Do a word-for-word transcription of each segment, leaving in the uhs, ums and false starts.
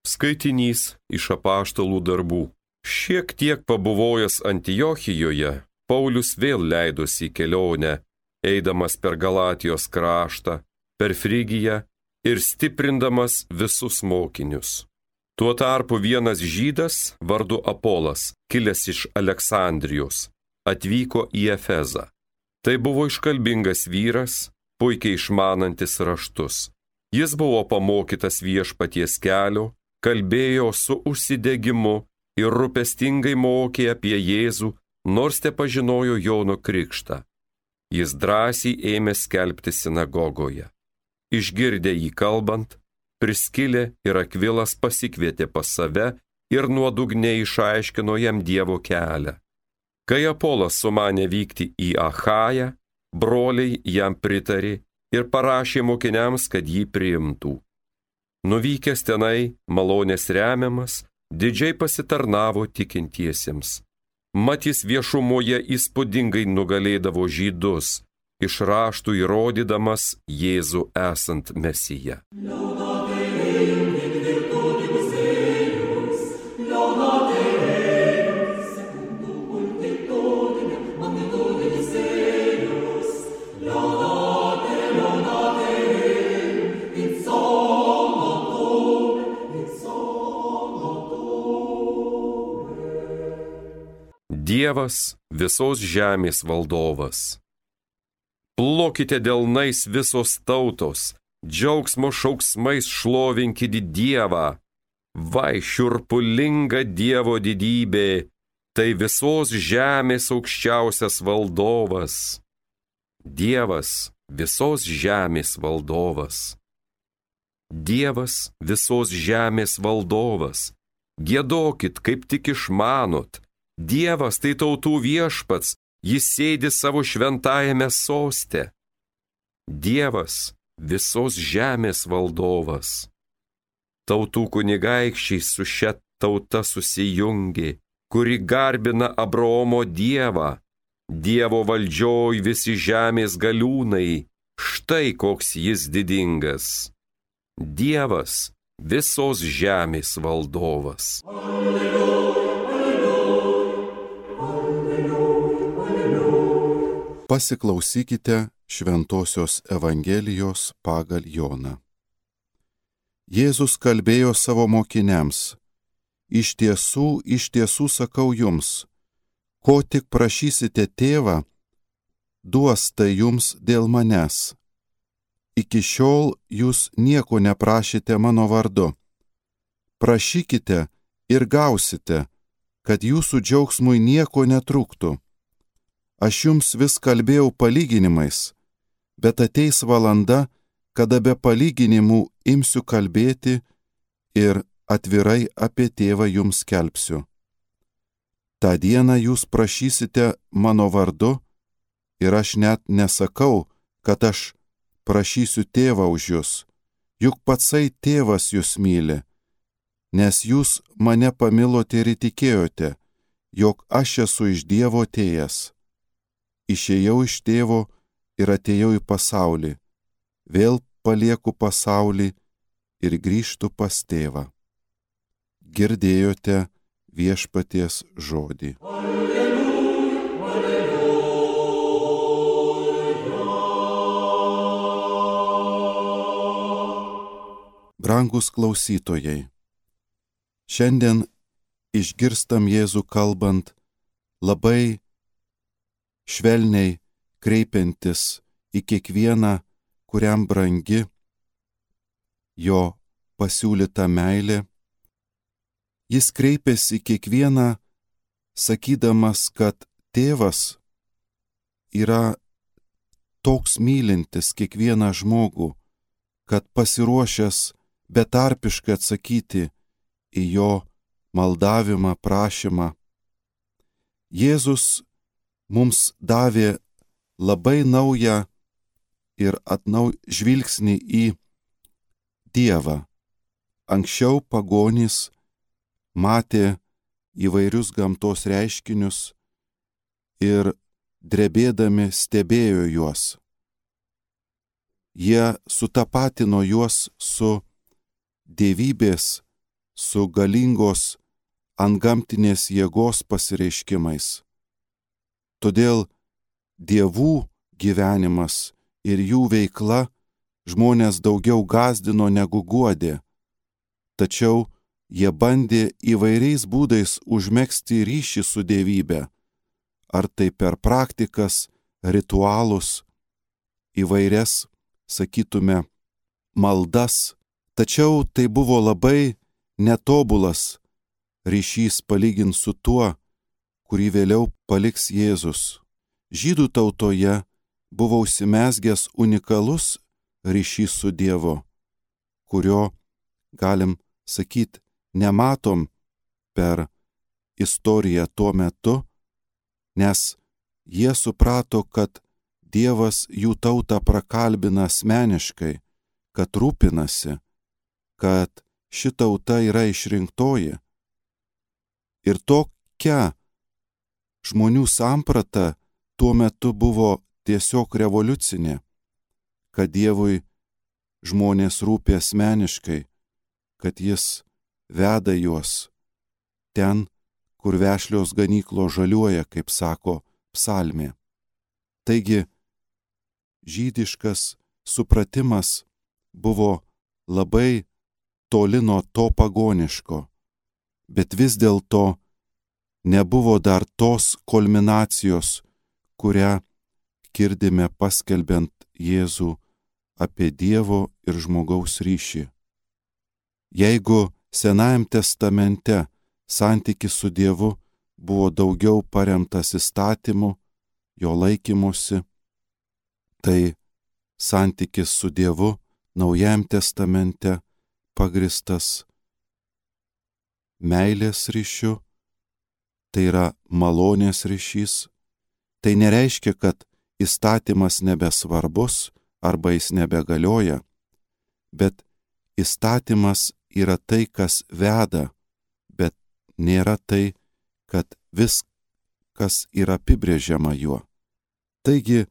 Skaitinys iš apaštalų darbų. Šiek tiek pabuvojęs Antiochijoje, Paulius vėl leidosi į kelionę, eidamas per Galatijos kraštą, per Frigiją ir stiprindamas visus mokinius. Tuo tarpu vienas žydas vardu Apolas, kilęs iš Aleksandrijos, atvyko į Efezą. Tai buvo iškalbingas vyras, puikiai išmanantis raštus. Jis buvo pamokytas viešpaties kelio, kalbėjo su užsidegimu ir rūpestingai mokė apie Jėzų, nors te pažinojo Jono krikštą. Jis drąsiai ėmė skelbti sinagogoje. Išgirdę jį kalbant, Priskilė ir Akvilas pasikvietė pas save ir nuodugniai išaiškino jam Dievo kelią. Kai Apolas sumanė vykti į Achają, broliai jam pritarė ir parašė mokiniams, kad jį priimtų. Nuvykęs tenai, malonės remiamas, didžiai pasitarnavo tikintiesiems. Mat jis viešumoje įspūdingai nugalėdavo žydus, iš raštų įrodydamas Jėzų esant Mesiją. Dievas visos žemės valdovas. Plokite delnais visos tautos, džiaugsmo šauksmais šlovinkite Dievą. Vai šiurpulinga Dievo didybė, tai visos žemės aukščiausias valdovas. Dievas visos žemės valdovas. Dievas visos žemės valdovas. Giedokit, kaip tik išmanot. Dievas tai tautų viešpats, jis sėdi savo šventajame soste. Dievas visos žemės valdovas. Tautų kunigaikščiai su šia tauta susijungė, kuri garbina Abraomo Dievą. Dievo valdžioj visi žemės galiūnai, štai koks jis didingas. Dievas visos žemės valdovas. Alleluja. Pasiklausykite Šventosios Evangelijos pagal Joną. Jėzus kalbėjo savo mokiniams: Iš tiesų, iš tiesų sakau jums, ko tik prašysite tėvą, duos tai jums dėl manęs. Iki šiol jūs nieko neprašėte mano vardu. Prašykite ir gausite, kad jūsų džiaugsmui nieko netrūktų. Aš jums vis kalbėjau palyginimais, bet ateis valanda, kada be palyginimų imsiu kalbėti ir atvirai apie tėvą jums skelbsiu. Ta dieną jūs prašysite mano vardu ir aš net nesakau, kad aš prašysiu tėvą už jūs, juk patsai tėvas jūs myli, nes jūs mane pamilote ir įtikėjote, jog aš esu iš Dievo atėjęs. Išėjau iš tėvo ir atėjau į pasaulį, vėl palieku pasaulį ir grįžtu pas tėvą. Girdėjote viešpaties žodį. Alleluja, alleluja. Brangus klausytojai, šiandien išgirstam Jėzų kalbant labai švelniai kreipiantis į kiekvieną, kuriam brangi jo pasiūlyta meilė. Jis kreipiasi į kiekvieną, sakydamas, kad tėvas yra toks mylintis kiekvieną žmogų, kad pasiruošęs betarpiškai atsakyti į jo maldavimą, prašymą. Jėzus mums davė labai naują ir atnau žvilgsnį į Dievą. Anksčiau pagonys matė įvairius gamtos reiškinius ir drebėdami stebėjo juos. Jie sutapatino juos su dievybės su galingos antgamtinės jėgos pasireiškimais. Todėl dievų gyvenimas ir jų veikla žmonės daugiau gąsdino negu guodė, tačiau jie bandė įvairiais būdais užmegzti ryšį su dievybe, ar tai per praktikas, ritualus, įvairias, sakytume, maldas, tačiau tai buvo labai netobulas ryšys palyginti su tuo, kurį vėliau paliks Jėzus. Žydų tautoje buvo užsimezgęs unikalus ryšys su Dievu, kurio, galim sakyti, nematom per istoriją tuo metu, nes jie suprato, kad Dievas jų tautą prakalbina asmeniškai, kad rūpinasi, kad ši tauta yra išrinktoji. Ir tokia žmonių samprata tuo metu buvo tiesiog revoliucinė, kad Dievui žmonės rūpi asmeniškai, kad jis veda juos ten, kur vešlios ganyklos žaliuoja, kaip sako psalmė. Taigi, žydiškas supratimas buvo labai toli nuo to pagoniško, bet vis dėlto nebuvo dar tos kulminacijos, kurią girdime paskelbiant Jėzų apie Dievo ir žmogaus ryšį. Jeigu Senajam testamente santykis su Dievu buvo daugiau paremtas įstatymu, jo laikymusi, tai santykis su Dievu Naujajam testamente pagristas meilės ryšiu, tai yra malonės ryšys. Tai nereiškia, kad įstatymas nebesvarbus arba jis nebegalioja, bet įstatymas yra tai, kas veda, bet nėra tai, kad viskas yra apibrėžiama juo. Taigi,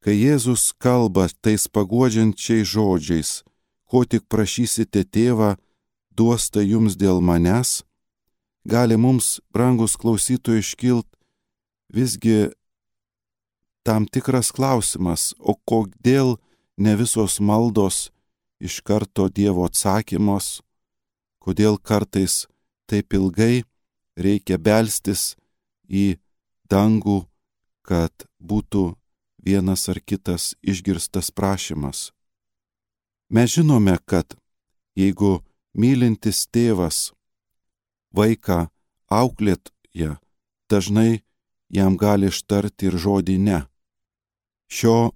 kai Jėzus kalba tais paguodžiančiais žodžiais, ko tik prašysite tėvą, duos tai jums dėl manęs, gali mums, brangus klausytojai, iškilt visgi tam tikras klausimas, o kodėl ne visos maldos iš karto Dievo atsakymos, kodėl kartais taip ilgai reikia belstis į dangų, kad būtų vienas ar kitas išgirstas prašymas. Mes žinome, kad jeigu mylintis tėvas vaiką auklėja, dažnai jam gali ištarti ir žodį ne. Šio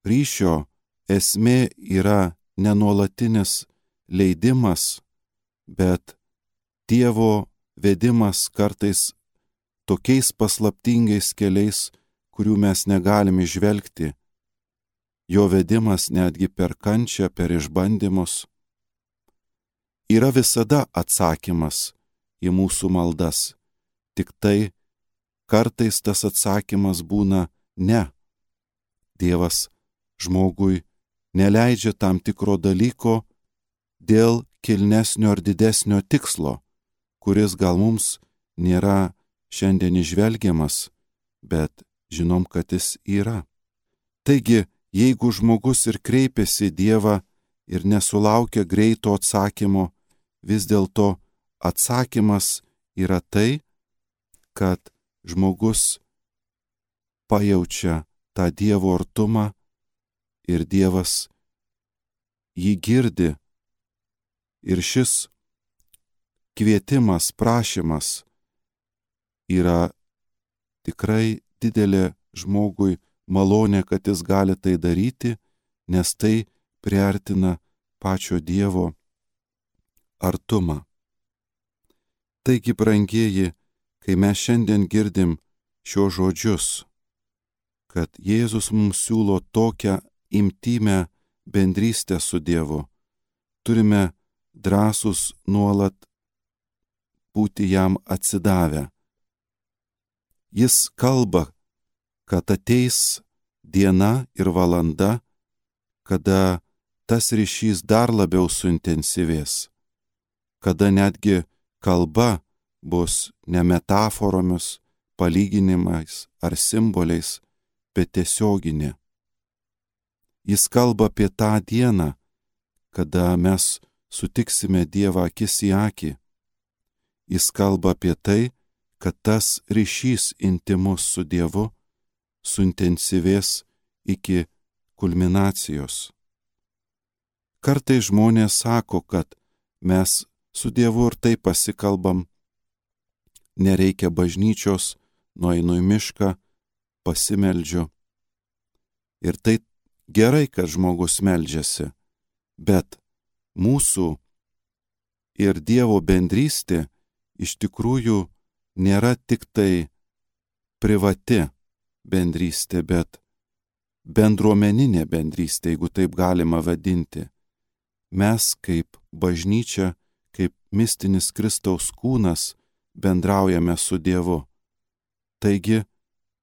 ryšio esmė yra nenuolatinis leidimas, bet Dievo vedimas kartais tokiais paslaptingais keliais, kurių mes negalim įžvelgti. Jo vedimas netgi per kančią, per išbandymus. Yra visada atsakymas į mūsų maldas, tik tai kartais tas atsakymas būna ne. Dievas žmogui neleidžia tam tikro dalyko dėl kilnesnio ar didesnio tikslo, kuris gal mums nėra šiandien įžvelgiamas, bet žinom, kad jis yra. Taigi, jeigu žmogus ir kreipiasi į Dievą ir nesulaukia greito atsakymo, vis dėlto atsakymas yra tai, kad žmogus pajaučia tą Dievo artumą ir Dievas jį girdi. Ir šis kvietimas, prašymas yra tikrai didelė žmogui malonė, kad jis gali tai daryti, nes tai priartina pačio Dievo artumą. Taigi, brangieji, kai mes šiandien girdim šios žodžius, kad Jėzus mums siūlo tokią intymę bendrystę su Dievu, turime drąsus nuolat būti jam atsidavę. Jis kalba, kad ateis diena ir valanda, kada tas ryšys dar labiau suintensyvės. kada netgi kalba bus ne metaforomis, palyginimais ar simboliais, bet tiesioginė. Jis kalba apie tą dieną, kada mes sutiksime Dievą akis į akį. Jis kalba apie tai, kad tas ryšys intimus su Dievu suintensyvės iki kulminacijos. Kartais žmonės sako, kad mes su Dievu ir taip pasikalbam, nereikia bažnyčios, nueinu į mišką, pasimeldžiu. Ir tai gerai, kad žmogus meldžiasi, bet mūsų ir Dievo bendrystė iš tikrųjų nėra tik tai privati bendrystė, bet bendruomeninė bendrystė, jeigu taip galima vadinti. Mes kaip bažnyčia, kaip mistinis Kristaus kūnas bendraujame su Dievu. Taigi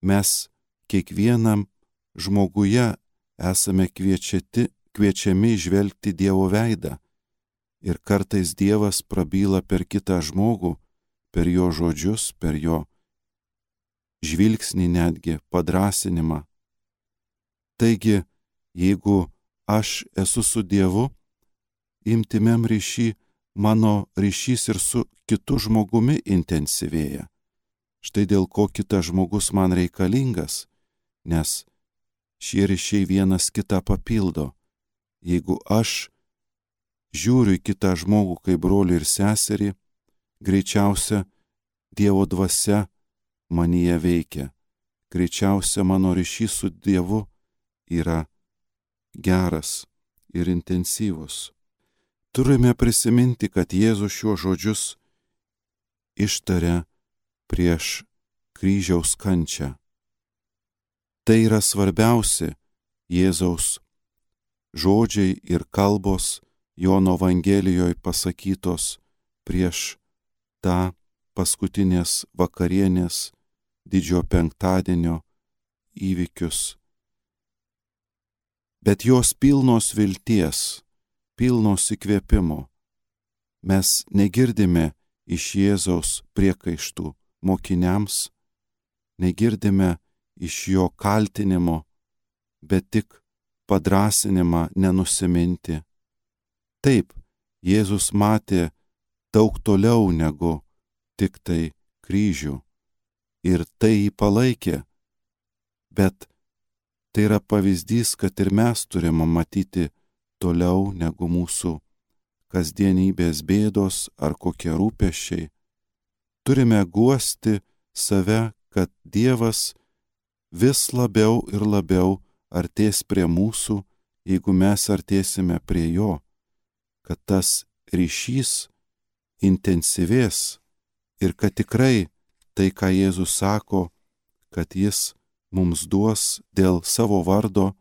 mes kiekvienam žmoguje esame kviečiati, kviečiami žvelgti Dievo veidą. Ir kartais Dievas prabyla per kitą žmogų, per jo žodžius, per jo žvilgsnį netgi, padrąsinimą. Taigi, jeigu aš esu su Dievu, intymiam ryšy, mano ryšys ir su kitu žmogumi intensyvėja. Štai dėl ko kitas žmogus man reikalingas, nes šie ryšiai vienas kitą papildo. Jeigu aš žiūriu į kitą žmogų kaip brolį ir seserį, greičiausia Dievo dvasia manyje veikia. Greičiausia mano ryšys su Dievu yra geras ir intensyvus. Turime prisiminti, kad Jėzus šiuos žodžius ištaria prieš kryžiaus kančią. Tai yra svarbiausi Jėzaus žodžiai ir kalbos Jono Evangelijoje pasakytos prieš tą paskutinės vakarienės didžiojo penktadienio įvykius. Bet jos pilnos vilties, pilnos įkvėpimo. Mes negirdime iš Jėzaus priekaištų mokiniams, negirdime iš jo kaltinimo, bet tik padrąsinimą nenusiminti. Taip, Jėzus matė daug toliau negu tik tai kryžių ir tai jį palaikė, bet tai yra pavyzdys, kad ir mes turime matyti toliau negu mūsų kasdienybės bėdos ar kokie rūpesčiai. Turime guosti save, kad Dievas vis labiau ir labiau artės prie mūsų, jeigu mes artėsime prie jo, kad tas ryšys intensyvės ir kad tikrai tai, ką Jėzus sako, kad jis mums duos dėl savo vardo,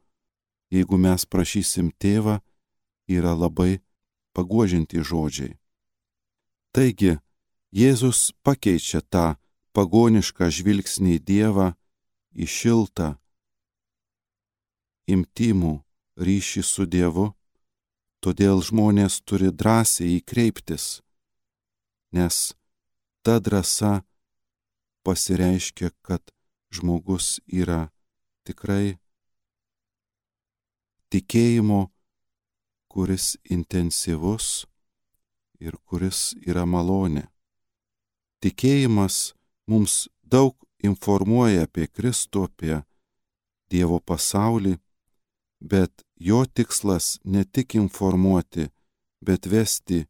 jeigu mes prašysim Tėvą, yra labai paguodžiantys žodžiai. Taigi, Jėzus pakeičia tą pagonišką žvilgsnį į Dievą į šiltą, intymų ryšį su Dievu, todėl žmonės turi drąsiai įkreiptis, nes ta drąsa pasireiškia, kad žmogus yra tikrai tikėjimo, kuris intensyvus ir kuris yra malonė. Tikėjimas mums daug informuoja apie Kristų, apie Dievo pasaulį, bet jo tikslas ne tik informuoti, bet vesti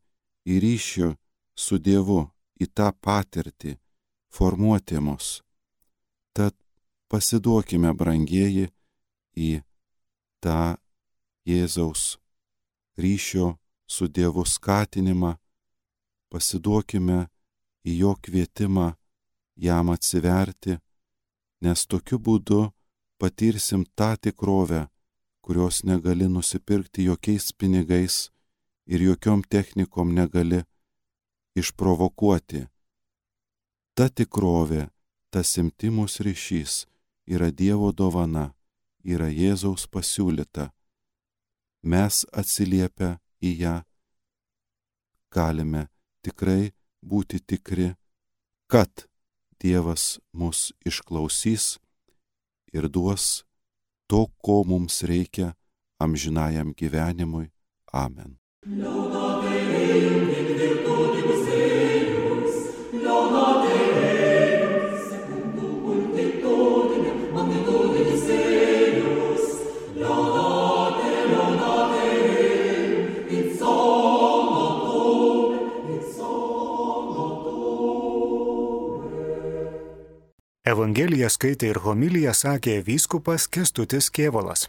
į ryšį su Dievu, į tą patirtį, formuoti mus. Tad pasiduokime, brangieji, į tą Jėzaus ryšio su Dievu skatinimą, pasiduokime į jo kvietimą jam atsiverti, nes tokiu būdu patirsim tą tikrovę, kurios negali nusipirkti jokiais pinigais ir jokiom technikom negali išprovokuoti. Ta tikrovė, tas intymus ryšys yra Dievo dovana, yra Jėzaus pasiūlyta. Mes atsiliepę į ją galime tikrai būti tikri, kad Dievas mus išklausys ir duos to, ko mums reikia amžinajam gyvenimui. Amen. Evangeliją skaitė ir homiliją sakė vyskupas Kęstutis Kėvalas.